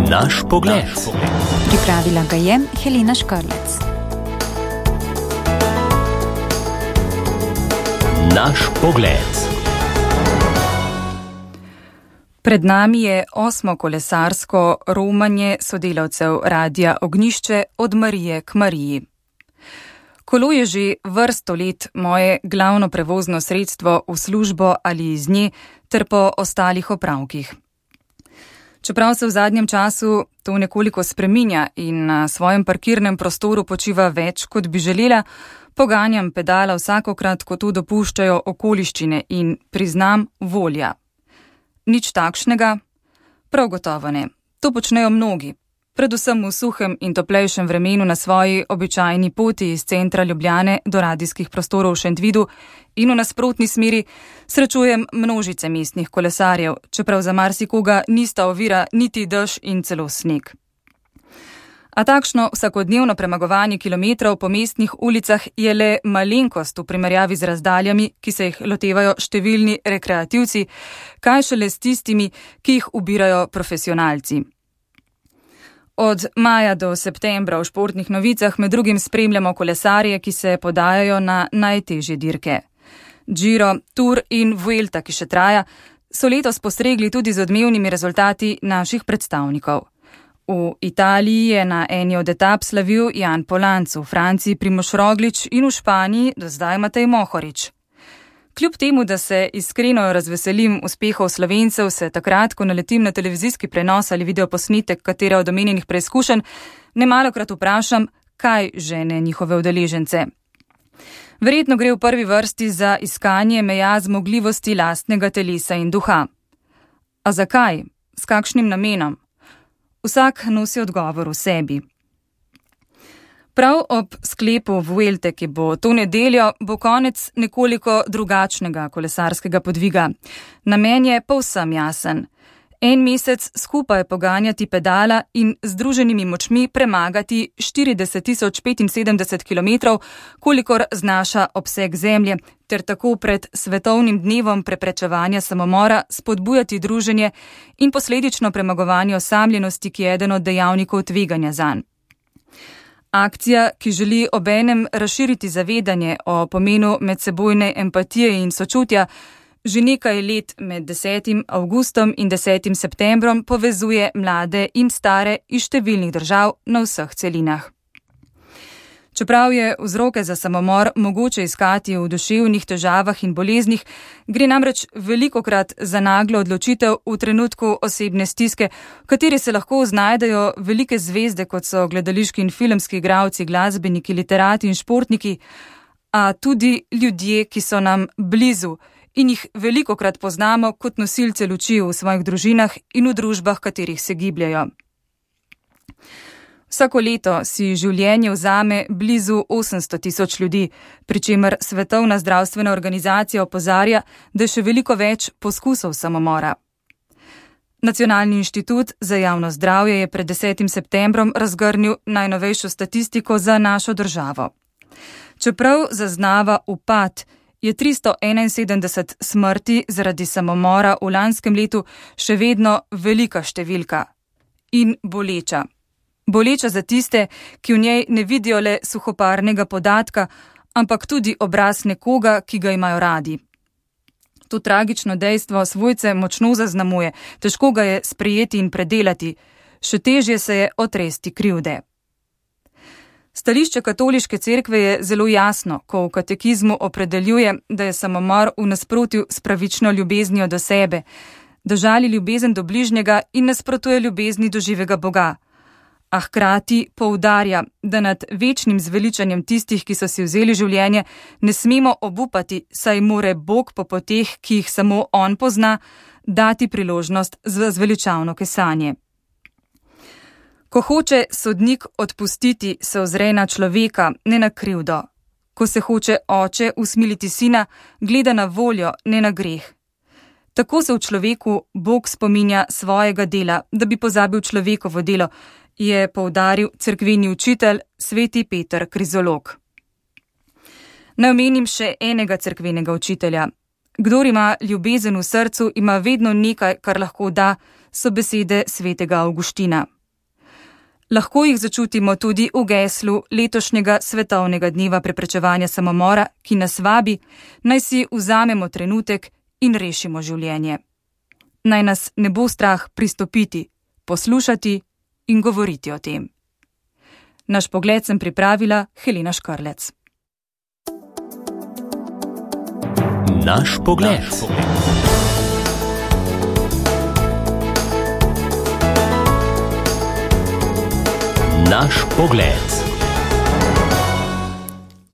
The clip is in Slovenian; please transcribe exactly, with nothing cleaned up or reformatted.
Naš pogled. Pripravila ga je Helena Škrlec. Naš pogled. Pred nami je osmo kolesarsko romanje sodelavcev Radia Ognjišče Od Marije k Mariji. Kolo je že vrsto let moje glavno prevozno sredstvo v službo ali iz nje ter po ostalih opravkih. Čeprav se v zadnjem času to nekoliko spreminja in na svojem parkirnem prostoru počiva več, kot bi želela, poganjam pedala vsakokrat, ko to dopuščajo okoliščine in priznam volja. Nič takšnega? Prav gotovo ne. To počnejo mnogi, predvsem v suhem in toplejšem vremenu na svoji običajni poti iz centra Ljubljane do radijskih prostorov v Šentvidu in v nasprotni smeri srečujem množice mestnih kolesarjev, čeprav za marsikoga nista ovira niti dež in celo sneg. A takšno vsakodnevno premagovanje kilometrov po mestnih ulicah je le malenkost v primerjavi z razdaljami, ki se jih lotevajo številni rekreativci, kaj šele s tistimi, ki jih ubirajo profesionalci. Od maja do septembra v športnih novicah med drugim spremljamo kolesarje, ki se podajajo na najtežje dirke. Giro, Tour in Vuelta, ki še traja, so letos postregli tudi z odmevnimi rezultati naših predstavnikov. V Italiji je na eni od etap slavil Jan Polanc, v Franciji Primož Roglič in v Španiji do zdaj Matej Mohorič. Kljub temu, da se iskreno razveselim uspehov Slovencev, se takrat, ko naletim na televizijski prenos ali videoposnetek katere od omenjenih preizkušenj, nemalokrat vprašam, kaj žene njihove udeležence. Verjetno gre v prvi vrsti za iskanje meja zmogljivosti lastnega telesa in duha. A zakaj? S kakšnim namenom? Vsak nosi odgovor v sebi. Prav ob sklepu Vuelte, ki bo to nedeljo, bo konec nekoliko drugačnega kolesarskega podviga. Namen je povsem jasen. En mesec skupaj poganjati pedala in združenimi močmi premagati štirideset tisoč petinsedemdeset kilometrov, kolikor znaša obseg zemlje, ter tako pred svetovnim dnevom preprečevanja samomora spodbujati druženje in posledično premagovanje osamljenosti, ki je eden od dejavnikov tveganja zanj. Akcija, ki želi obenem razširiti zavedanje o pomenu medsebojne empatije in sočutja, že nekaj let med desetim avgustom in desetim septembrom povezuje mlade in stare iz številnih držav na vseh celinah. Čeprav je vzroke za samomor mogoče iskati v duševnih težavah in boleznih, gre namreč velikokrat za naglo odločitev v trenutku osebne stiske, v kateri se lahko znajdejo velike zvezde, kot so gledališki in filmski igralci, glasbeniki, literati in športniki, a tudi ljudje, ki so nam blizu in jih velikokrat poznamo kot nosilce luči v svojih družinah in v družbah, katerih se gibljajo. Vsako leto si življenje vzame blizu osemsto tisoč ljudi, pri čemer Svetovna zdravstvena organizacija opozarja, da je še veliko več poskusov samomora. Nacionalni inštitut za javno zdravje je pred desetim septembrom razgrnil najnovejšo statistiko za našo državo. Čeprav zaznava upad, je tristo enainsedemdeset smrti zaradi samomora v lanskem letu še vedno velika številka in boleča. Boleča za tiste, ki v njej ne vidijo le suhoparnega podatka, ampak tudi obraz nekoga, ki ga imajo radi. To tragično dejstvo svojce močno zaznamuje, težko ga je sprejeti in predelati, še težje se je otresti krivde. Stališče katoliške cerkve je zelo jasno, ko v katekizmu opredeljuje, da je samomor v nasprotju s pravično ljubeznijo do sebe, da žali ljubezen do bližnjega in nasprotuje ljubezni do živega Boga. A hkrati poudarja, da nad večnim zveličanjem tistih, ki so si vzeli življenje, ne smemo obupati, saj more Bog po poteh, ki jih samo on pozna, dati priložnost za zveličavno kesanje. Ko hoče sodnik odpustiti, se ozre na človeka, ne na krivdo. Ko se hoče oče usmiliti sina, gleda na voljo, ne na greh. Tako se v človeku Bog spominja svojega dela, da bi pozabil človekovo delo, je poudaril cerkveni učitelj sveti Peter Krizolog. Naj omenim še enega cerkvenega učitelja. Kdor ima ljubezen v srcu, ima vedno nekaj, kar lahko da, so besede svetega Avguština. Lahko jih začutimo tudi v geslu letošnjega svetovnega dneva preprečevanja samomora, ki nas vabi, naj si vzamemo trenutek in rešimo življenje. Naj nas ne bo strah pristopiti, poslušati in govoriti o tem. Naš pogled sem pripravila Helena Škrlec. Naš pogled. Naš pogled.